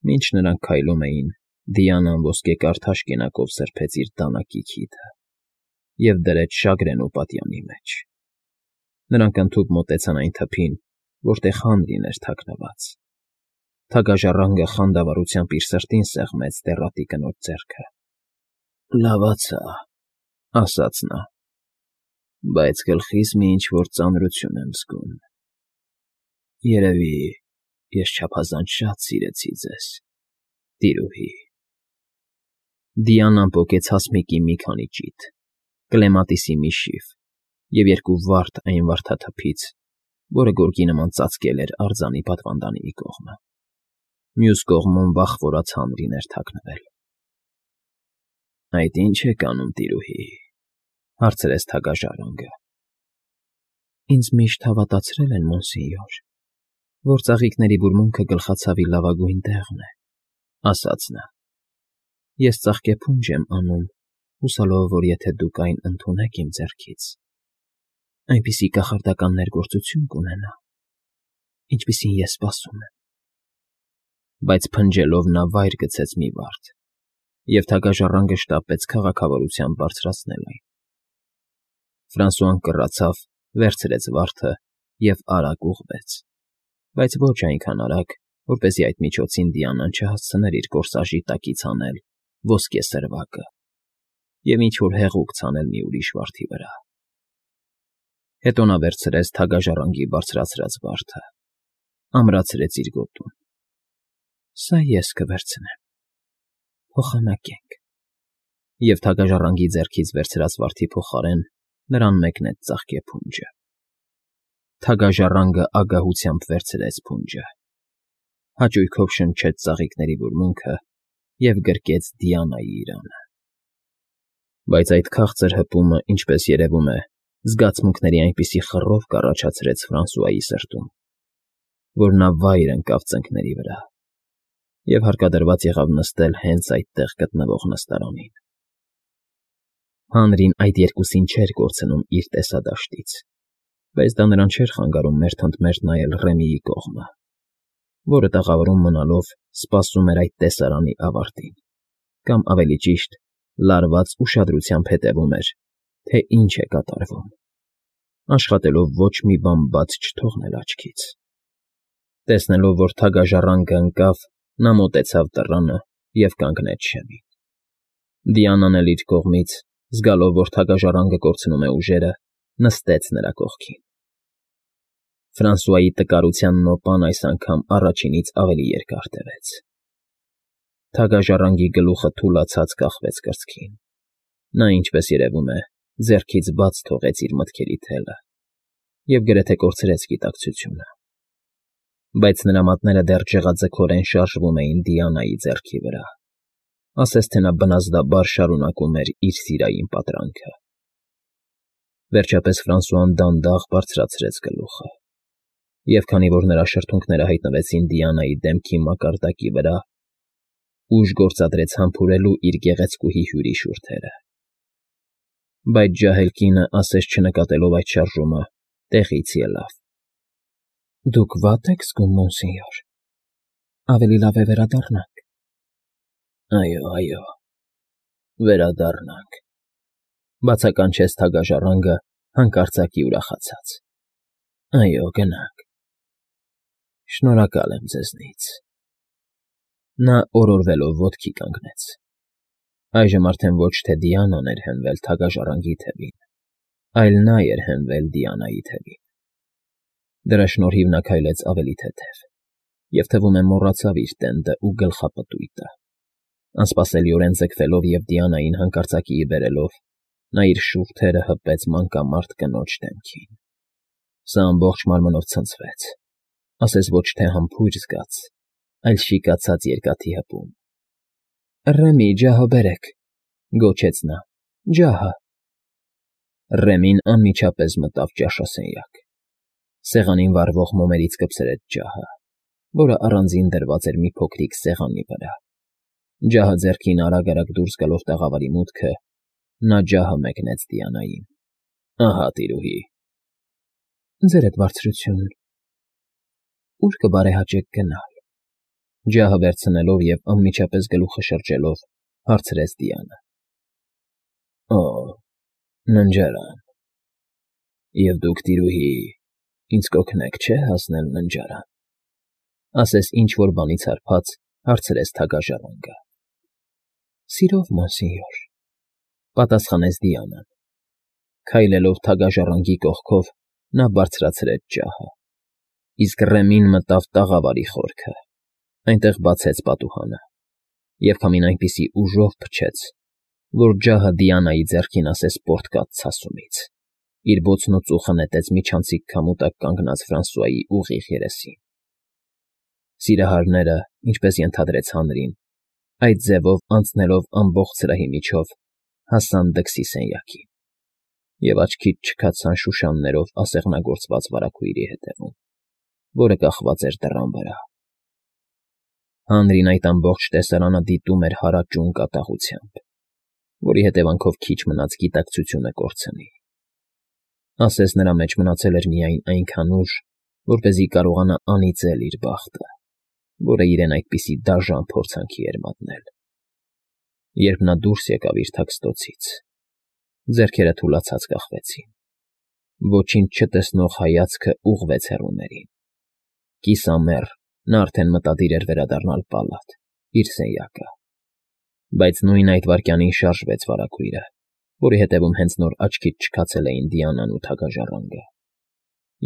Մինչ նրանք քայլում էին, Դիանան ոսկեկար թաշկինակով սրբեց իր դանակի քիթը և դրեց շագրեն ու պատյանի մեջ. նրանք ընդհուպ մոտեցան այն թփին, որտեղ Հանրին էր թաքնված. թագաժառանգը խանդավառությամբ իր սրտին սեղմեց տեռատի կնոջ ձեռքը։ ֊ Լավացա,֊ ասաց նա,֊ բայց գլխիս մի ինչ֊որ ծանրություն եմ զգում… Երևի ես չափազանց շատ սիրեցի ձեզ, տիրուհի… Դիանան պոկեց հասմիկի մի քանի ճիթ, կլեմատիսի մի շիվ և երկու վարդ այն վարդաթփից, որը գորգի նման ծածկել էր արձանի պատվանդանի մի կողմը. մյուս կողմում վախվորած Հանրին էր թաքնվել։ ֊ Այդ ի՞նչ եք անում, տիրուհի,֊ հարցրեց թագաժառանգը։ ֊ Ինձ միշտ հավատացրել են, մոնսենյոր, որ ծաղիկների բուրմունքը գլխացավի լավագույն տեղն է,֊ ասաց նա։ ֊ Ես ծաղկեփունջ եմ անում, հուսալով, որ եթե դուք այն ընդունեք իմ ձեռքից, այնպիսի կախարդական ներգործություն կունենա, ինչպիսին ես սպասում եմ… Բայց փնջելով նա վայր գցեց մի վարդ, և թագաժառանգը շտապեց քաղաքավարությամբ բարձրացնել այն։ Ֆրանսուան կռացավ, վերցրեց վարդը և արագ ուղղվեց, բայց ոչ այնքան արագ, որպեսզի այդ միջոցին Դիանան չհասցներ իր կորսաժի տակից հանել ոսկե սրվակը և ինչ֊որ հեղուկ ցանել մի ուրիշ վարդի վրա։ Հետո նա վերցրեց թագաժառանգի բարձրացրած վարդը, ամրացրեց իր գոտուն։ ֊ Սա ես կվերցնեմ, փոխանակենք… Եվ թագաժառանգի ձեռքից վերցրած վարդի փոխարեն նրան մեկնեց ծաղկեփունջը։ Թագաժառանգը ագահությամբ վերցրեց փունջը, հաճույքով շնչեց ծաղիկների բուրմունքը և գրկեց Դիանայի իրանը։ Բայց այդ քաղցր հպումը, ինչպես երևում է, զգացմունքների այնպիսի խռով կառաջացրեց Ֆրանսուայի սրտում, որ նա վայր ընկավ ծնկների վրա և հարկադրված եղավ նստել հենց այդտեղ գտնվող նստարանին։ Հանրին այդ երկուսին չէր կորցնում իր տեսադաշտից, բայց դա նրան չէր խանգարում մերթընդմերթ նայել Ռեմիի կողմը, որը տաղավարում մնալով սպասում էր այդ տեսարանի ավարտին, կամ ավելի ճիշտ, լարված ուշադրությամբ հետևում էր, թե ինչ է կատարվում, աշխատելով ոչ մի բան բաց չթողնել աչքից։ Տեսնելով, որ թագաժառանգը ընկավ, նա մոտեցավ դռանը և կանգնեց շեմին։ Դիանան էլ իր կողմից, զգալով, որ թագաժառանգը կորցնում է ուժերը, նստեց նրա կողքին։ Ֆրանսուայի տկարության նոպան այս անգամ առաջինից ավելի երկար տևեց։ Թագաժառանգի գլուխը թուլացած կախվեց կրծքին։ Նա, ինչպես երևում է, ձեռքից բաց թողեց իր մտքերի թելը և գրեթե կորցրեց գիտակցությունը։ Բայց նրա մատները դեռ ջղաձգորեն շարժվում էին Դիանայի ձեռքի վրա, ասես թե նա բնազդաբար շարունակում էր իր սիրային պատրանքը։ Վերջապես Ֆրանսուան դանդաղ բարձրացրեց գլուխը, և քանի որ նրա շրթունքները հայտնվեցին Դիանայի դեմքի մակարդակի վրա, ուժ գործադրեց համբուրելու իր գեղեցկուհի հյուրի շուրթերը։ Բայց ջահել կինը, ասես չնկատելով այդ շարժումը, տեղից ելավ։ ֊ Դուք վատ եք զգում, մոնսենյոր, ավելի լավ է վերադառնանք։ ֊ Այո, վերադառնանք,֊ բացականչեց թագաժառանգը հանկարծակի ուրախացած։ ֊ Այո, գնանք… Շնորհակալ եմ ձեզնից… Նա օրորվելով ոտքի կանգնեց։ Այժմ արդեն ոչ թե Դիանան էր հենվել թագաժառանգի թևին, այլ նա էր հենվել Դիանայի թևին։ Դրա շնորհիվ նա քայլեց ավելի թեթև և, թվում է, մոռացավ իր տենդն ու գլխապտույտը։ Անսպասելիորեն ձգվելով և Դիանային հանկարծակիի բերելով, նա իր շուրթերը հպեց մանկամարդ կնոջ դեմքին։ Սա ամբողջ մարմնով ցնցվեց, ասես ոչ թե համբույր զգաց, այլ շիկացած երկաթի հպում։ ֊ Ռեմի, ջահը բերեք,֊ գոչեց նա,֊ ջահը… Ռեմին անմիջապես մտավ ճաշասենյակ։ Սեղանին վառվող մոմերից կպցրեց ջահը, որը առանձին դրված էր մի փոքրիկ սեղանի վրա։ Ջահը ձեռքին արագ֊արագ դուրս գալով տաղավարի մուտքը, նա ջահը մեկնեց Դիանային։ ֊ Ահա, տիրուհի… ֊ Ձերդ բարձրություն… Ո՞ւր կբարեհաճեք գնալ։ Ջահը վերցնելով և անմիջապես գլուխը շրջելով, հարցրեց Դիանը։ Օ, ննջարան։ Եվ դուք, տիրուհի, ինձ կօգնեք, չէ՞, հասնել ննջարան, ասես ինչ֊որ բանից հարբած, հարցրեց թագաժառանգը։ Սիրով, մոնսենյոր, պատասխանեց Դիանան։ Քայլելով թագաժառանգի կողքով, նա բարձրացրեց ջահը, իսկ Ռեմին մտավ տաղավարի խորքը, այնտեղ բացեց պատուհանը և քամին այնպիսի ուժով փչեց, որ ջահը Դիանայի ձեռքին ասես պոռթկաց ցասումից, իր բոցն ու ծուխը նետեց միջանցիկ քամու տակ կանգնած Ֆրանսուայի ուղիղ երեսին։ Սիրահարները, ինչպես ենթադրեց Հանրին, այդ ձևով անցնելով ամբողջ սրահի միջով, հասան դքսի սենյակին և աչքից չքացան շուշաններով ասեղնագործված վարագույրի հետևում, որը կախված էր դռան վրա։ Հանրին այդ ամբողջ տեսարանը դիտում էր հարաճուն կատաղությամբ, որի հետևանքով քիչ մնաց գիտակցությունը կորցնի։ Ասես նրա մեջ մնացել էր միայն այնքան ուժ, որպեսզի կարողանա անիծել իր բախտը, որը իրեն այդպիսի դաժան փորձանքի էր մատնել։ Երբ նա դուրս եկավ իր թաքստոցից, ձեռքերը թուլացած կախվեցին, ոչինչ չտեսնող հայացքը ուղղվեց հեռուներին։ Կիսամեռ նա արդեն մտադիր էր վերադառնալ պալատ, իր սենյակը, բայց նույն այդ վայրկյանին շարժվեց վարագույրը, որի հետևում հենց նոր աչքից չքացել էին Դիանան ու թագաժառանգը,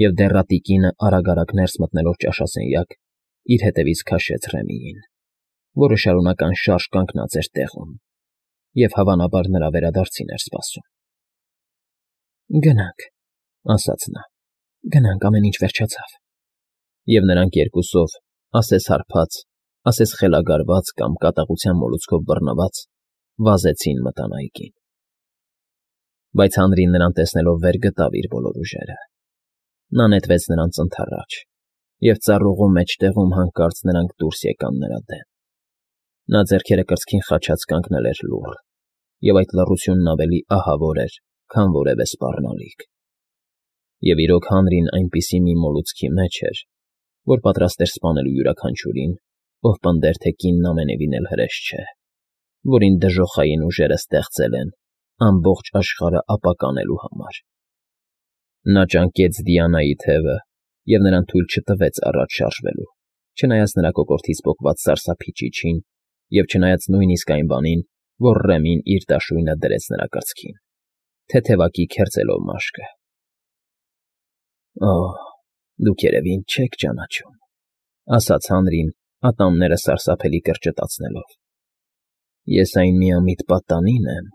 և դեռատի կինը արագ ներս մտնելով ճաշասենյակ, իր հետևից քաշեց Ռեմիին, որը շարունակ անշարժ կանգնած էր տեղում և, հավանաբար, նրա վերադարձին էր սպասում։ Գնանք, ասաց նա, գնանք, ամեն ինչ վերջացավ։ Եվ նրանք երկուսով, ասես հարբած, ասես խելագարված կամ կատաղության մոլուցքով բռնված, վազեցին մտան այգին։ Բայց Հանրին նրան տեսնելով վեր գտավ իր բոլոր ուժերը։ Նա նետվեց նրանց ընդառաջ, և ծառուղու մեջտեղում հանկարծ նրանք դուրս եկան նրա դեմ։ Նա ձեռքերը կրծքին խաչած կանգնել էր լուռ, և այդ լռությունն ավելի ահավոր էր, քան որևէ սպառնալիք։ Եվ իրոք Հանրին այնպիսի մի մոլուցքի մեջ էր, որ պատրաստ էր սպանելու յուրաքանչյուրին, ով պնդեր, թե կինն ամենևին էլ հրեշ չէ, որին դժոխային ուժերը ստեղծել են ամբողջ աշխարհը ապականելու համար։ Նա ճանկեց Դիանայի թևը և նրան թույլ չտվեց առաջ շարժվելու, չնայած նրա կոկորդից պոկված սարսափի ճիչին և չնայած նույնիսկ այն բանին, որ Ռեմին իր դաշույնը դրեց նրա կրծքին, թեթևակի քերծելով մաշկը։ Օ, դուք երևի ինձ չեք ճանաչում, ասաց Հանրին, ատամները սարսափելի կրճտացնելով։ Ես այն միամիտ պատանին եմ,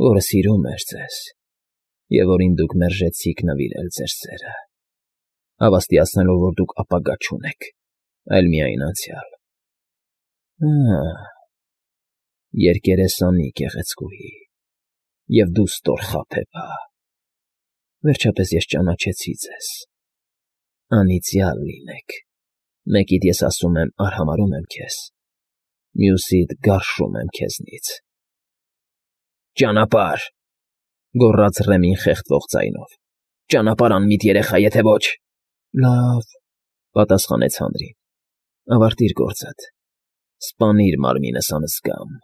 որը սիրում էր ձեզ և որին դուք մերժեցիք նվիրել ձեր սերը, հավաստիացնելով, որ դուք ապագա չունեք, այլ միայն անցյալ։ Երկերեսանի գեղեցկուհի, և դու ստոր խաբեբա, վերջապես ես ճանաչեցի ձեզ։ Անիծյալ լինեք, մեկիդ ես ասում եմ արհամարհում եմ քեզ, մյուսիդ գարշում եմ քեզնից։ Ճանապարհ, գոռաց Ռեմին խեղդվող ձայնով, ճանապարհ անմիտ երեխա, եթե ոչ… Լավ, պատասխանեց Հանրին, ավարտիր գործդ, սպանիր մարմինս անզգամ,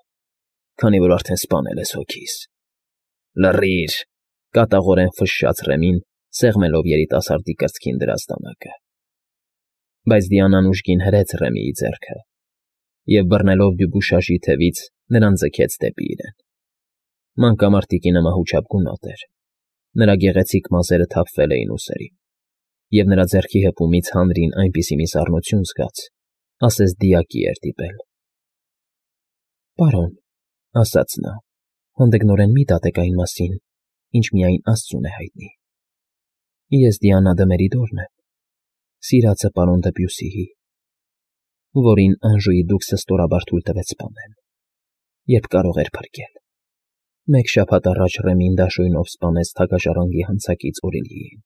քանի որ արդեն սպանել ես հոգիս։ Լռիր, կատաղորեն ֆշշաց Ռեմին, սեղմելով երիտասարդի կրծքին դրած դանակը։ Բայց Դիանան ուժգին հրեց Ռեմիի ձեռքը և, բռնելով Դյուբուշաժի թևից, նրան ձգեց դեպի իրեն։ Մանկամարտիկինը մահուճապ գունատ էր, նրա գեղեցիկ մազերը թափվել էին ուսերին, և նրա ձեռքի հպումից Հանրին այնպիսի մի սառնություն զգաց, ասես դիակի էր դիպել։ Պարոն, ասաց նա, հանդգնորեն մի դատեք այն մասին, ինչ միայն աստծուն է հայտնի։ Ես Դիանա դը Մերիդորն եմ, սիրածը պարոն Դեբյուսիի, որին Անժուի դուքսը ստորաբար թույլ տվեց սպանել, երբ կարող էր փրկել։ Մեկ շաբաթ առաջ Ռեմին դաշույնով սպանեց թագաժառանգի հանցակից Օրելիին,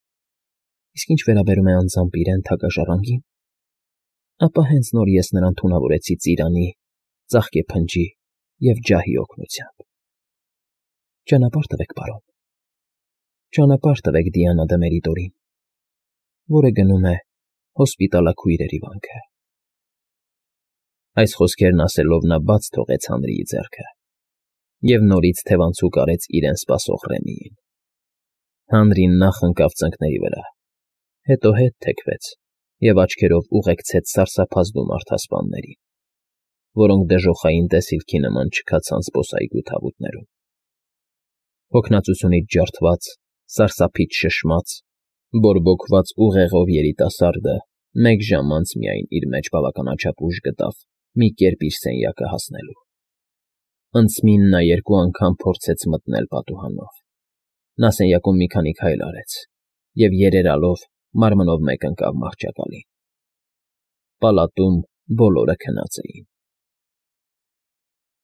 իսկ ինչ վերաբերում է անձամբ իրեն թագաժառանգին, ապա հենց նոր ես նրան թունավորեցի ծիրանի, ծաղկե փնջի և ջահի օգնությամբ։ Ճանապարհ տվեք, պարոն, ճանապարհ տվեք Դիանա դը Մերիդորին, որը գնում է հոսպիտալաքույրերի վանքը։ Այս խոսքերն ասելով նա բաց թողեց Հանրիի ձեռքը և նորից թևանցուկ արեց իրեն սպասող Ռեմիին։ Հանրին նախ ընկավ ծնկների վրա, հետո ետ թեքվեց և աչքերով ուղեկցեց սարսափազդու մարդասպաններին, որոնք դժոխային տեսիլքի նման չքացան զբոսայգու թավուտներում։ Հոգնածությունից ջարդված, սարսափից շշմած, բորբոքված ուղեղով երիտասարդը մեկ ժամ անց միայն իր մեջ բավականաչափ ուժ գտավ մի կերպ իր սենյակը հասնելու։ Անցմին նա երկու անգամ փորձեց մտնել պատուհանով։ Նա սենյակում մի քանի քայլ արեց և, երերալով, մարմնով մեկ ընկավ մահճակալին։ Պալատում բոլորը քնած էին։